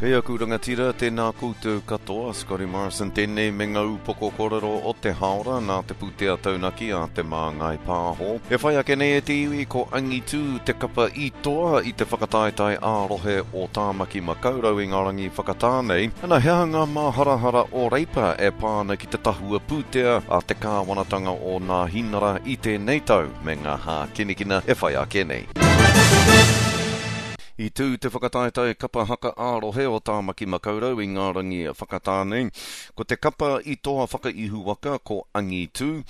E aku rangatira, tēnā koutou katoa, Scotty Morrison tēnei me ngā upoko kōrero o te haora nā te pūtea taunaki a Te Māngai Pāho. E whai ake nei e te iwi ko Angitū te kapa i toa i te whakataetae ā-rohe o Tāmaki Makaurau i ngā rangi whakatā nei. Ana, he aha ngā māharahara o Reipa e pā ana ki te tahua pūtea a te kāwanatanga o Nāhinara i tēnei tau me ngā hākinakina e whai ake nei. I tū te whakataetae kapa haka ā-rohe o Tāmaki Makaurau i ngā rangi whakatā nei. Ko te kapa i toa whakaihuwaka ko Angitū.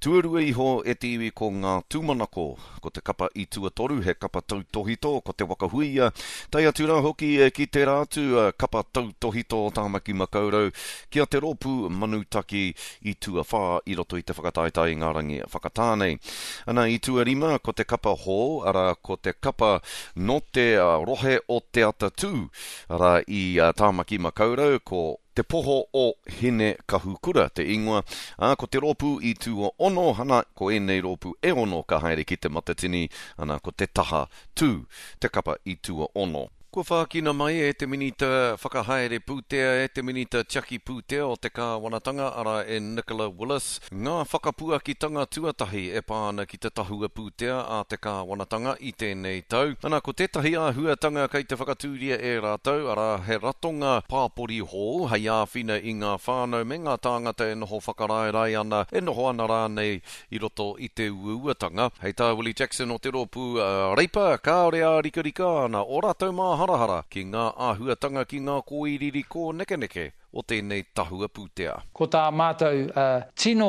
Tuarua iho e te iwi ko Ngā Tūmanako. Ko te kapa i tuatoru he kapa tautōhito ko Te Waka Huia. Tae atu rā hoki ki tērā atu kapa tautōhito o Tāmaki Makaurau ki a Te Rōpū Manutaki i tuawhā i roto i te whakataetae i ngā rangi whakatā nei. Ana, i tuarima ko te kapa hou, arā, ko te kapa nō te rohe o Te Atatū, arā, i Tāmaki Makaurau, ko Te Poho o Hine Kahukura te ingoa, ā, ko te rōpū i tuaono, ana, ko ēnei rōpū e ono ka haere ki Te Matatini, ana, ko Te Taha Tū te kapa i tuaono. Kua whākina mai e te Minita Whakahaere Pūtea, e te Minita Tiaki Pūtea o te Kāwanatanga, arā e Nicola Willis, ngā whakapuakitanga tuatahi e pā ana ki te tahua pūtea a te Kāwanatanga i tēnei tau. Ana, ko tētahi āhuatanga kei te whakatūria e rātou, arā, he ratonga pāpori hou hei āwhina i ngā whānau me ngā tāngata e noho whakaraerae ana, e noho ana rānei i roto i te uauatanga. Hei tā Willie Jackson o te rōpū Reipa, kāore ārikarika ana ō rātou māharahara ki ngā āhuatanga ki ngā kōiriiri kōnekeneke o tēnei tahua pūtea. Ko tā mātou tino,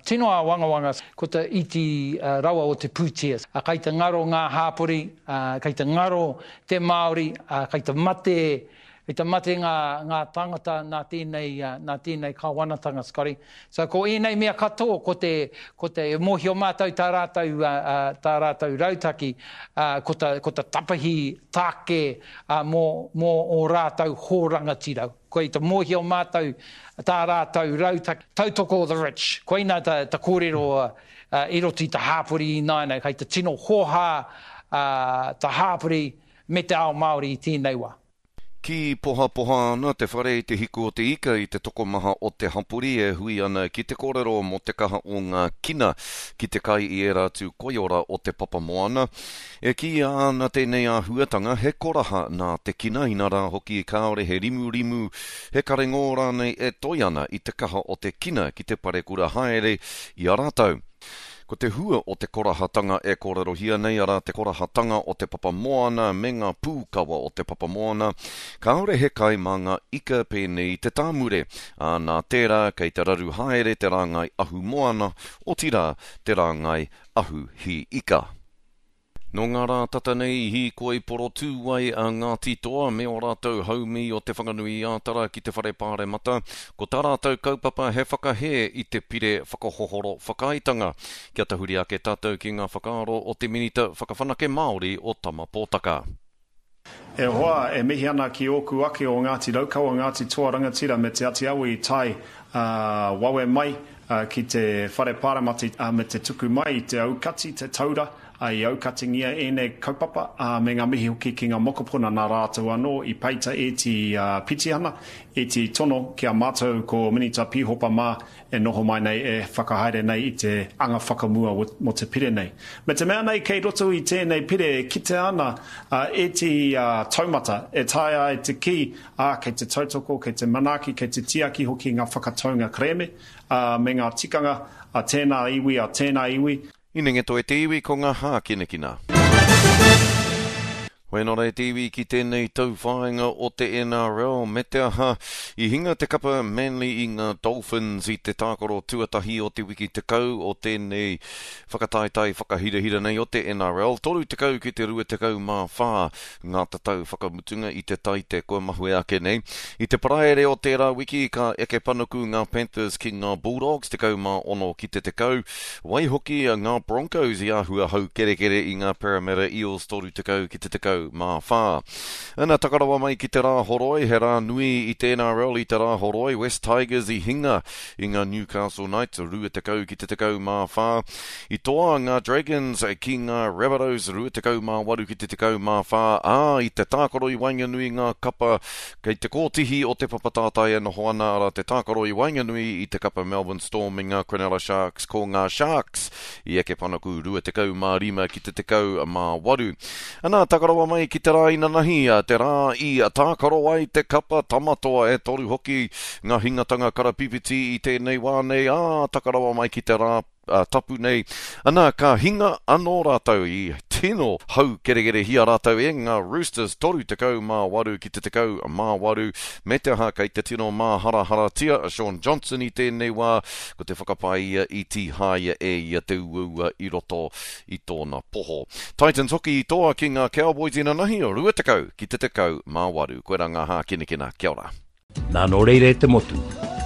tino āwangawanga ko te iti rawa o te pūtea. Kai te ngaro ngā hāpori, kai te ngaro te Māori, kai te mate I te mate ngā, ngā tāngata nā tēnei, nā tēnei kāwanatanga, Scotty. So ko ēnei mea katoa, ko te, ko te, e mōhio mātou tā rātou, tā rātou rautaki, ko ta, ko ta tapahi tāke mō, mō ō rātou hō rangatira. Ko i te mōhio mātou tā rātou rautaki, tautoko the rich. Koina ta, ta kōrero i roto i te hāpori ināianei, kei te tino hōhā ta hāpori me te ao Māori i tēnei wā. Kī pohapoha ana te whare i te hiku o te ika i te tokomaha o te hapori e hui ana ki te kōrero mō te kaha o ngā kina ki te kai i ērā atu koiora o te papamoana. E kīia ana tēnei āhuatanga he koraha nā te kina, inarā hoki kāore he rimurimu, he karengō rānei e toi ana i te kaha o te kina ki te parekura haere i a rātou. Ko te hua o te korahatanga e kōrerohia nei, arā te korahatanga o te papa moana me ngā pūkawa o te papa moana, kāore he kai mā ngā ika pēnei i te tāmure, ā, nā tērā kei te raru haere te rāngai ahumoana, otirā, te rāngai ahu hī ika. Nō ngā rā tata nei i hīkoi porotū ai a Ngāti Toa me ō rātou haumī o Te Whanganui-ā-Tara ki te Whare Pāremata, ko tā rātou kaupapa he whakahē i te pire whakahohoro whakaaetanga. Kia tahuri ake tātou ki ngā whakaaro o te Minita Whakawhanake Māori o Tama Pōtaka. E hoa, e mihi ana ki ōku ake o Ngāti Raukawa, Ngāti Toa Rangatira me Te Ati Awa i tae wawe mai ki te Whare Pāremati me te tuku mai i te aukati, te taura i aukatingia ēnei kaupapa, me ngā mihi hoki ki ngā mokopuna nā rātou anō i peita ēti pitihana, ēti tono ki a mātou ko Minita Pīhopa mā e noho mai nei, e whakahaere nei i te anga whakamua mō te pire nei. Me te mea nei kei roto i tēnei pire e kitea ana ētehi taumata e taea ai te kī, ā, kei te tautoko, kei te manaaki, kei te tiaki hoki ngā whakataunga kerēme, ā, me ngā tikanga a tēnā iwi, a tēnā iwi. Inenge toe te iwi ko nga hākinakina. Wena rā te iwi ki tēnei tauwhāinga o te NRL, me te aha, i hinga te kapa Manly i ngā Dolphins i te tākaro tuatahi o te wiki 10 o tēnei whakataetae whakahirahira nei o te NRL, 30 ki te 24 ngā tatau whakamutunga i te Taite kua mahue ake nei. I te Paraire o tērā wiki ka eke panuku ngā Panthers ki ngā Bulldogs, 16 ki te 10, Waihoki ngā Broncos i āhua haukerekere i ngā Parramatta Eels 30 ki te 14. 14. Ana taka rawa mai ki te Rāhoroi, he rā nui i te NRL i te Rāhoroi, West Tigers i hinga i ngā Newcastle Knights 20 ki te 14. I toa ngā Dragons ki ngā Rabbitohs 28 ki te 14, ā, i te tākaro i waenganui ngā kapa kei te kōtihi o te papa tātai e noho ana, arā te tākaro i waenganui i te kapa Melbourne Storm me ngā Cronulla Sharks, ko ngā Sharks i eke panaku 25 ki te 18. Ana, taka rawa mai ki te rā inanahi, te rā i tākaro ai te kapa Tamatoa, e toru hoki ngā hingatanga karapipiti i tēnei wā nei, ā, taka rawa mai ki te rā tapu nei, ana, ka hinga anō rātou i tino haukerekerehia rātou e ngā Roosters 38 ki te 18, me te aha kei te tino māharaharatia a Shaun Johnson i tēnei wā, ko te whakapae ia i tīhaea e ia te uaua i roto i tōna poho. Titans hoki i toa ki ngā Cowboys inanahi, 20 ki te 18. Koirā ngā hākinakina. Kia ora. Nā nō reira e te motu,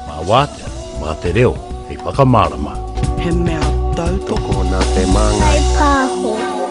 mā wātea, mā te reo hei whakamārama. He mea tautoko. Tokona te māngai. Whai pāho.